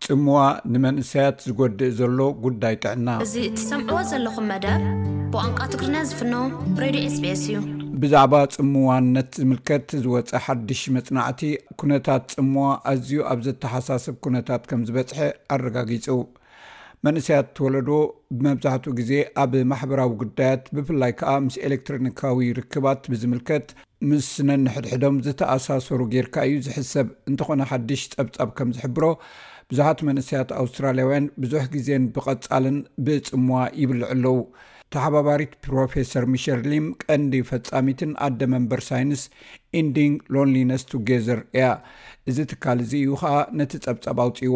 ጽምዋ ንመንእሰያት ዝጎድእ ዘሎ ጉዳይ ጥዕና። እዚ እትሰምዕዎ ዘለኹም መደብ ብቋንቋ ትግርኛ ዝፍኖ ሬድዮ ኤስቢኤስ እዩ። ብዛዕባ ጽምዋነት ዝምልከት ዝወጸ ሓድሽ መጽናዕቲ፣ ኩነታት ጽምዋ ኣዝዩ ኣብ ዘተሓሳስብ ኩነታት ከም ዝበጽሐ ኣረጋጊጹ። መንእሰያት ወለዶ ብመብዛሕትኡ ግዜ ኣብ ማሕበራዊ ጉዳያት፣ ብፍላይ ከኣ ምስ ኤሌክትሮኒካዊ ርክባት ብዝምልከት፣ ምስ ነንሕድሕዶም ዝተኣሳሰሩ ጌርካ እዩ ዝሕሰብ። እንተኾነ፣ ሓድሽ ጸብጻብ ከም ዝሕብሮ፣ ብዙሓት መንእሰያት ኣውስትራልያውያን ብዙሕ ግዜን ብቐጻልን ብጽምዋ ይብልዑ ኣለዉ። ተሓባባሪት ፕሮፌሰር ሚሸል ሊም፣ ቀንዲ ፈጻሚትን ኣደ መንበር ሳይንስ ኢንዲንግ ሎንሊነስ ቱጌዘር እያ። እዚ ትካል እዚ እዩ ኸኣ ነቲ ጸብጻብ ኣውጺዎ።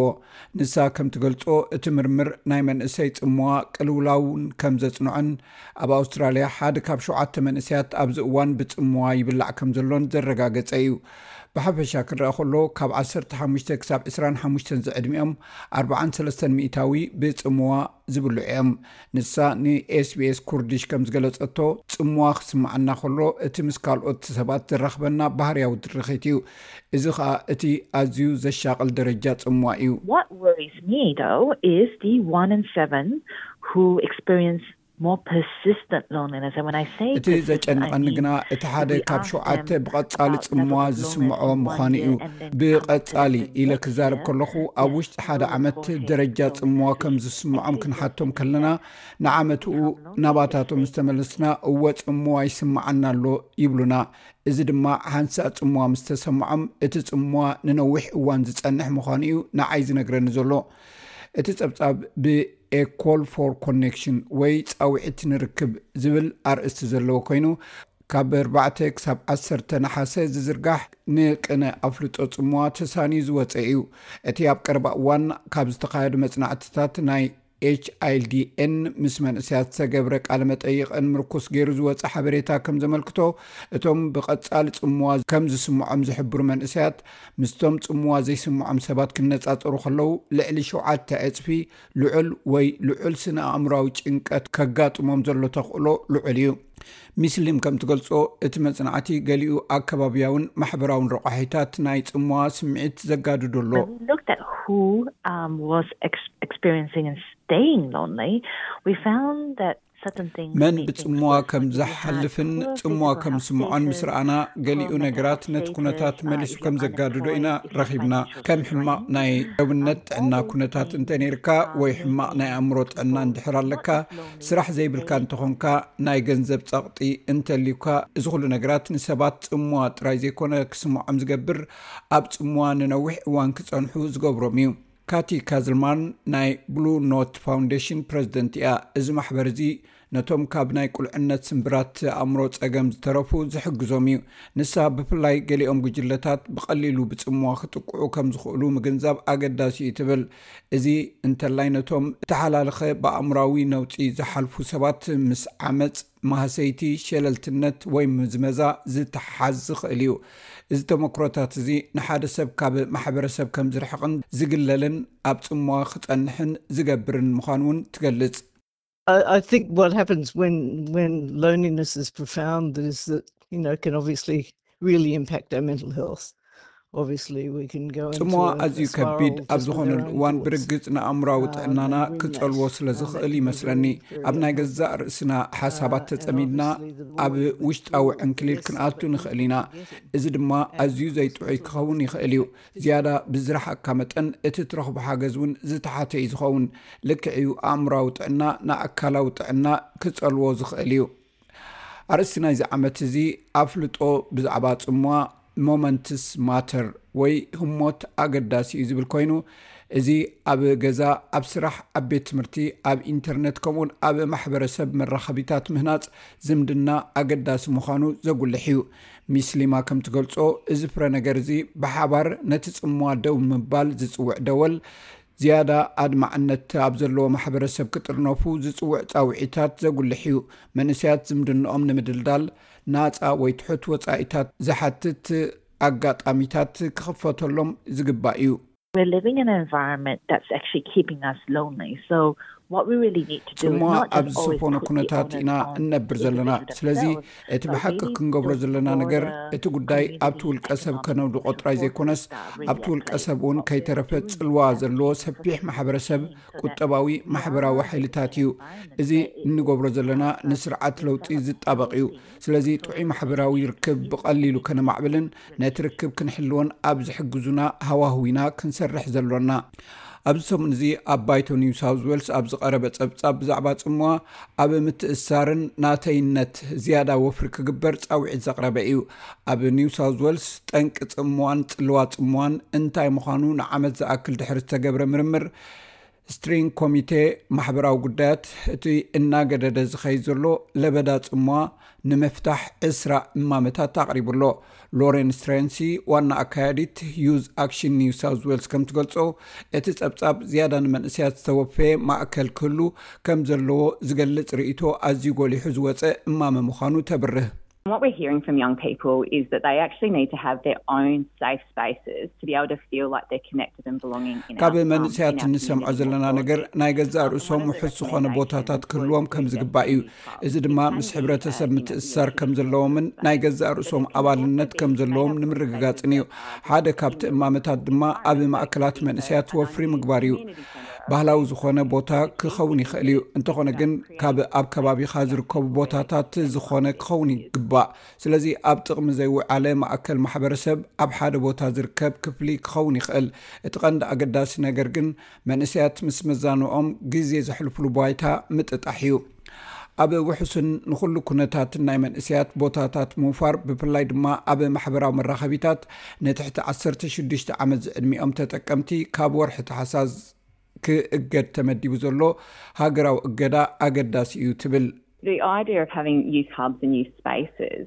ንሳ ከም ትገልጾ፣ እቲ ምርምር ናይ መንእሰይ ጽምዋ ቅልውላውን ከም ዘጽንዖን፣ ኣብ ኣውስትራልያ ሓደ ካብ ሸውዓተ መንእሰያት ኣብዚ እዋን ብጽምዋ ይብላዕ ከም ዘሎን ዘረጋገጸ እዩ። ብሓፈሻ ክረኣ ከሎ፣ ካብ ዓሰርተ ሓሙሽተ ክሳብ ዕስራን ሓሙሽተን ዝዕድሚኦም፣ ኣርባዓን ሰለስተን ሚእታዊ ብጽምዋ ዝብልዑ እዮም። ንሳ ንኤስቢኤስ ኩርዲሽ ከም ዝገለጸቶ፣ ጽምዋ ክስምዓና ከሎ፣ እቲ ምስ ካልኦት ሰባት ዘራኽበና ባህርያዊ ድርኺት እዩ። እዚ ኸኣ እቲ ኣዝዩ ዘሻቕል ደረጃ ጽምዋ እዩ። What worries me, though, is the one in seven who experience more persistent loneliness. And when I say እቲ ዘጨንቐኒ ግና፣ እቲ ሓደ ካብ ሸውዓተ ብቐጻሊ ጽምዋ ዝስምዖ ምዃኑ እዩ። ብቐጻሊ ኢለ ክዛረብ ከለኹ፣ ኣብ ውሽጢ ሓደ ዓመት ደረጃ ጽምዋ ከም ዝስምዖም ክንሓቶም ከለና፣ ንዓመትኡ ናባታቶም ዝተመለስና፣ እወ፣ ጽምዋ ይስምዓና ኣሎ ይብሉና። እዚ ድማ ሓንሳእ ጽምዋ ምስ ተሰምዖም፣ እቲ ጽምዋ ንነዊሕ እዋን ዝጸንሕ ምዃኑ እዩ ንዓይ ዝነግረኒ ዘሎ። እቲ ጸብጻብ ብ A Call for Connection ወይ ጻውዒት ንርክብ ዝብል ኣርእስቲ ዘለዎ ኮይኑ፣ ካብ ኣርባዕተ ክሳብ ዓሰርተ ነሓሰ ዝዝርጋሕ ንቅነ ኣፍልጦ ጽምዋ ተሳንዩ ዝወጸ እዩ። እቲ ኣብ ቀረባ እዋን ካብ ዝተኻየዱ መጽናዕትታት ናይ ኤች ኣይ ዲ ኤን ምስ መንእሰያት ዝተገብረ ቃለ መጠይቕን ምርኩስ ገይሩ ዝወጸ ሓበሬታ ከም ዘመልክቶ፣ እቶም ብቐጻሊ ጽምዋ ከም ዝስምዖም ዝሕብሩ መንእሰያት፣ ምስቶም ጽምዋ ዘይስምዖም ሰባት ክነጻጸሩ ከለዉ፣ ልዕሊ ሸውዓተ ዕጽፊ ልዑል ወይ ልዑል ስነ ኣእምሮኣዊ ጭንቀት ከጋጥሞም ዘሎ ተኽእሎ ልዑል እዩ። ሚስ ሊም ከም ትገልጾ፣ እቲ መጽናዕቲ ገሊኡ ኣከባብያውን ማሕበራውን ረቋሒታት ናይ ጽምዋ ስምዒት ዘጋድዶ ኣሎ። When we looked at who um, was ex- experiencing and staying lonely, we found that certain things መን made things ብጽምዋ worse. ከም Like, if you had ዘሕልፍን poor ጽምዋ physical ከም health ዝስምዖን ምስ status, ረኣና፣ ገሊኡ poor mental ነገራት health ነቲ ኩነታት status, uh, መሊሱ if ከም you're ዘጋድዶ ኢና unemployed, if you're ረኺብና። financially ከም ሕማቕ strained, ናይ ደውነት um, ጥዕና all those ኩነታት things, እንተ ነይርካ፣ um, ወይ made ሕማቕ ናይ things ኣእምሮ ጥዕና worse. እንድሕር ኣለካ፣ What is lonely ስራሕ really ዘይብልካ is? እንተኾንካ፣ ናይ ገንዘብ ጸቕጢ እንተልዩካ፣ እዚ ኩሉ ነገራት ንሰባት ጽምዋ ጥራይ ዘይኮነ ክስምዖም ዝገብር፣ ኣብ ጽምዋ ንነዊሕ እዋን ክጸንሑ ዝገብሮም እዩ። ካቲ ካዝልማን ናይ ብሉ ኖት ፋውንዴሽን ፕረዚደንት እያ። እዚ ማሕበር እዚ ነቶም ካብ ናይ ቁልዕነት ስምብራት ኣእምሮ ጸገም ዝተረፉ ዝሕግዞም እዩ። ንሳ ብፍላይ ገሊኦም ጉጅለታት ብቐሊሉ ብጽምዋ ክጥቅዑ ከም ዝኽእሉ ምግንዛብ ኣገዳሲ እዩ ትብል። እዚ እንተላይ ነቶም እተሓላለኸ ብኣእምራዊ ነውጺ ዝሓልፉ ሰባት ምስ ዓመጽ፣ ማህሰይቲ፣ ሸለልትነት ወይ ምዝመዛ ዝተሓዝ ዝኽእል እዩ። እዚ ተመክሮታት እዚ ንሓደ ሰብ ካብ ማሕበረሰብ ከም ዝርሕቕን ዝግለልን ኣብ ጽምዋ ክጸንሕን ዝገብርን ምዃኑ እውን ትገልጽ። I, I think what happens when when loneliness is profound is that you know can obviously really impact our mental health. Obviously, we can go into ጽምዋ a, ኣዝዩ a ከቢድ spiral ኣብ just with ዝኾነሉ our own እዋን thoughts. ብርግጽ ንኣእምራዊ Um, ጥዕናና and when ክጸልዎ that- ስለ and that ዝኽእል can be ይመስለኒ። very, very ኣብ ናይ unhealthy. ገዛእ ርእስና ሓሳባት Uh, and ተጸሚድና obviously the ኣብ more we ውሽጣዊ withdraw, the ዕንክሊል less ክንኣቱ likely ንኽእል we ኢና። get it. እዚ ድማ And ኣዝዩ of ዘይጥዑይ course, ክኸውን ይኽእል እዩ። ዝያዳ ብዝረሓቕካ መጠን እቲ ትረኽቦ ሓገዝ እውን ዝተሓተ እዩ ዝኸውን። ልክዕ እዩ፣ ኣእምራዊ ጥዕና ንኣካላዊ ጥዕና ክጸልዎ ዝኽእል እዩ። ኣርእስቲ ናይዚ ዓመት እዚ ኣፍልጦ ብዛዕባ ጽምዋ፣ ሞመንትስ ማተር ወይ ህሞት ኣገዳሲ እዩ ዝብል ኮይኑ፣ እዚ ኣብ ገዛ፣ ኣብ ስራሕ፣ ኣብ ቤት ትምህርቲ፣ ኣብ ኢንተርነት፣ ከምኡውን ኣብ ማሕበረሰብ መራኸቢታት ምህናጽ ዝምድና ኣገዳሲ ምዃኑ ዘጉልሕ እዩ። ሚስ ሊማ ከም ትገልጾ፣ እዚ ፍረ ነገር እዚ ብሓባር ነቲ ጽምዋ ደው ንምባል ዝጽውዕ ደወል፣ ዝያዳ ኣድማዕነት ኣብ ዘለዎ ማሕበረሰብ ክጥርነፉ ዝጽውዕ ጻውዒታት ዘጉልሕ እዩ። መንእሰያት ዝምድንኦም ንምድልዳል ናጻ ወይ ትሑት ወጻኢታት ዝሓትት ኣጋጣሚታት ክኽፈተሎም ዝግባእ እዩ። We're living in an environment that's actually keeping us lonely. So What we really need to do is ጽምዋ not ኣብ just always ዝሰፈኖ put the ኩነታት onus ኢና on እነብር ዘለና። individuals ስለዚ themselves, እቲ but ብሓቂ we need to ክንገብሮ build ዘለና ነገር broader እቲ ጉዳይ ኣብቲ community ውልቀ ሰብ and ከነውድቖ ጥራይ ዘይኮነስ ኣብቲ ውልቀ ሰብ እውን ከይተረፈ ጽልዋ ዘለዎ ሰፊሕ ማሕበረሰብ ቁጠባዊ ማሕበራዊ ሓይልታት እዩ። እዚ እንገብሮ ዘለና ንስርዓት ለውጢ ዝጣበቕ እዩ። ስለዚ ጥዑይ ማሕበራዊ ርክብ ብቐሊሉ ከነማዕብልን ነቲ ርክብ ክንሕልዎን ኣብ ዝሕግዙና ሃዋህው ኢና ክንሰርሕ ዘሎና። ኣብዚ ሰሙን እዚ ኣብ ባይቶ ኒው ሳውዝ ዌልስ ኣብ ዝቐረበ ጸብጻብ ብዛዕባ ጽምዋ ኣብ ምትእሳርን ናተይነት ዝያዳ ወፍሪ ክግበር ጻውዒት ዘቕረበ እዩ። ኣብ ኒው ሳውዝ ዌልስ ጠንቂ ጽምዋን ጽልዋ ጽምዋን እንታይ ምዃኑ ንዓመት ዝኣክል ድሕሪ ዝተገብረ ምርምር ስትሪንግ ኮሚቴ ማሕበራዊ ጉዳያት እቲ እናገደደ ዝኸይድ ዘሎ ለበዳ ጽምዋ ንምፍታሕ ዕስራ እማመታት ኣቕሪቡ ኣሎ። ሎሬን ስትሬንሲ ዋና ኣካያዲት ዩዝ ኣክሽን ኒው ሳውዝ ዌልስ ከም ትገልጾ እቲ ጸብጻብ ዝያዳ ንመንእሰያት ዝተወፈየ ማእከል ክህሉ ከም ዘለዎ ዝገልጽ ርእይቶ ኣዝዩ ጎሊሑ ዝወጸ እማመ ምዃኑ ተብርህ። What we're hearing from young people is that they actually need to have their own safe spaces to be able to feel like they're connected and belonging in ካብ our, um, መንእሰያት in our እንሰምዖ community ዘለና more ነገር broadly. ናይ ገዛእ Um, ርእሶም one of the ውሑስ ዝኾነ recommendations ቦታታት was ክህልዎም to ከም get ዝግባእ እዩ። community hubs, እዚ ድማ which can ምስ be ሕብረተሰብ urban ምትእስሳር communities ከም ዘለዎምን ናይ ገዛእ ርእሶም ኣባልነት ከም ዘለዎም ንምርግጋጽን እዩ። ሓደ ካብቲ እማመታት ድማ ኣብ ማእከላት መንእሰያት ወፍሪ ምግባር እዩ። ባህላዊ ዝኾነ ቦታ ክኸውን ይኽእል እዩ። እንተኾነ ግን ካብ ኣብ ከባቢኻ ዝርከቡ ቦታታት ዝኾነ ክኸውን ይግባእ። ስለዚ ኣብ ጥቕሚ ዘይውዓለ ማእከል ማሕበረሰብ ኣብ ሓደ ቦታ ዝርከብ ክፍሊ ክኸውን ይኽእል። እቲ ቀንዲ ኣገዳሲ ነገር ግን መንእሰያት ምስ መዛንኦም ግዜ ዘሕልፍሉ ባይታ ምጥጣሕ እዩ። ኣብ ውሕስን ንኹሉ ኩነታትን ናይ መንእሰያት ቦታታት ምውፋር፣ ብፍላይ ድማ ኣብ ማሕበራዊ መራኸቢታት ንትሕቲ ዓሰርተ ሽዱሽተ ዓመት ዝዕድሚኦም ተጠቀምቲ ካብ ወርሒ ተሓሳስ ክእገድ ተመዲቡ ዘሎ ሃገራዊ እገዳ ኣገዳሲ እዩ ትብል። The idea of having youth hubs and youth spaces,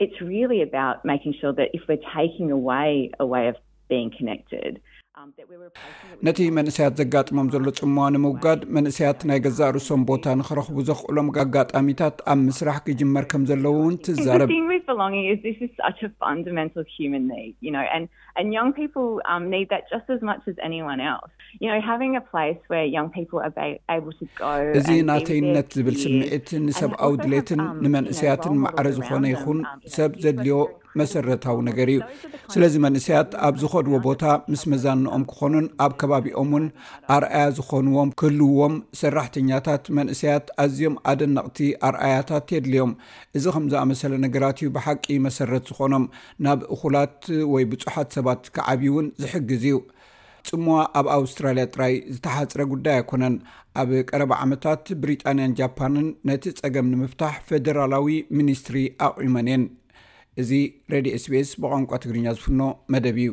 it's really about making sure that if we're taking away a way of being connected, um, that we're replacing it with ነቲ መንእሰያት ዘጋጥሞም ዘሎ ጽምዋ ንምውጋድ መንእሰያት ናይ ገዛእ ርእሶም ቦታ ንኽረኽቡ ዘኽእሎም ኣጋጣሚታት ኣብ ምስራሕ ክጅመር ከም ዘለዎ እውን The ትዛረብ። thing with belonging is this is such a fundamental human need, you know, and, and young people um, need that just as much as anyone else. You know, having a place where young people are ba- able to go እዚ ናተይነት ዝብል ስምዒት ንሰብኣዊ ድሌትን ንመንእሰያትን ማዕረ ዝኾነ ይኹን ሰብ ዘድልዮ መሰረታዊ ነገር እዩ። ስለዚ መንእሰያት ኣብ ዝኸድዎ ቦታ ምስ መዛንኦም ክኾኑን ኣብ ከባቢኦም እውን ኣርኣያ ዝኾንዎም ክህልዎም ሰራሕተኛታት መንእሰያት ኣዝዮም ኣደነቕቲ ኣርኣያታት የድልዮም። እዚ ከም ዝኣመሰለ ነገራት እዩ ብሓቂ መሰረት ዝኾኖም ናብ እኹላት ወይ ብጹሓት ሰባት ክዓብዩ እውን ዝሕግዝ እዩ። ጽምዋ ኣብ ኣውስትራልያ ጥራይ ዝተሓጽረ ጉዳይ ኣይኮነን። ኣብ ቀረባ ዓመታት ብሪጣንያን ጃፓንን ነቲ ጸገም ንምፍታሕ ፌደራላዊ ሚኒስትሪ ኣቑመን እየን። እዚ ሬድዮ ኤስቢኤስ ብቋንቋ ትግርኛ ዝፍኖ መደብ እዩ።